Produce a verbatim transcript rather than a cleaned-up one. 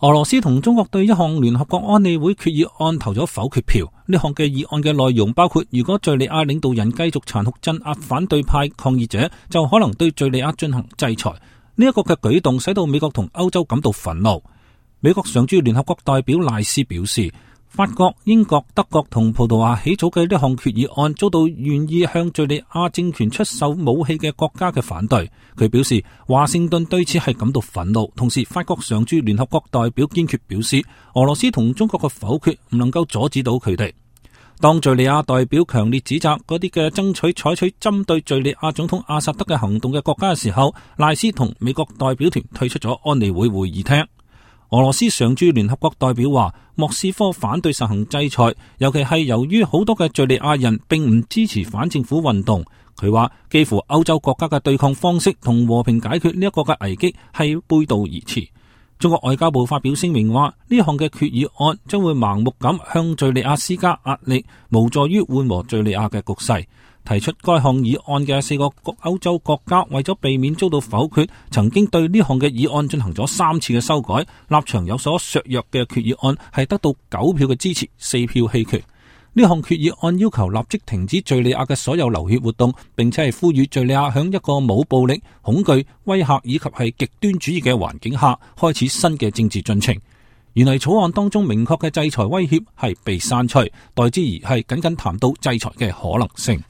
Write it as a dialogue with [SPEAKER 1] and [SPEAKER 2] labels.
[SPEAKER 1] 俄羅斯同中國對一項聯合國安理會決議案投咗否決票。呢項嘅議案嘅內容包括，如果敘利亞領導人繼續殘酷鎮壓反對派抗議者，就可能對敘利亞進行制裁。呢一個嘅舉動使到美國同歐洲感到憤怒。美國常駐聯合國代表賴斯表示，法國、英國、德國同葡萄牙起草嘅呢項決議案遭到願意向敘利亞政權出售武器嘅國家嘅反對。佢表示，華盛頓對此係感到憤怒。同時，法國常駐聯合國代表堅決表示，俄羅斯同中國嘅否決唔能夠阻止到佢哋。當敘利亞代表強烈指責嗰啲嘅爭取採取針對敘利亞總統阿薩德嘅行動嘅國家嘅時候，賴斯同美國代表團退出咗安理會會議廳。俄羅斯常駐聯合國代表話，莫斯科反對實行制裁，尤其係由於好多嘅敘利亞人並唔支持反政府運動。佢話，幾乎歐洲國家嘅對抗方式同和，和平解決呢一個嘅危機係背道而馳。中國外交部發表聲明話，呢項嘅決議案將會盲目咁向敘利亞施加壓力，無助於緩和敘利亞嘅局勢。提出該項議案嘅四個歐洲國家為咗避免遭到否決，曾經對呢項嘅議案進行咗三次嘅修改，立場有所削弱嘅決議案係得到九票嘅支持，四票棄權。呢項決議案要求立即停止敘利亞嘅所有流血活動，並且係呼籲敘利亞響一個冇暴力、恐懼、威嚇以及係極端主義嘅環境下開始新嘅政治進程。原來草案當中明確嘅制裁威脅係被刪除，代之而係僅僅談到制裁嘅可能性。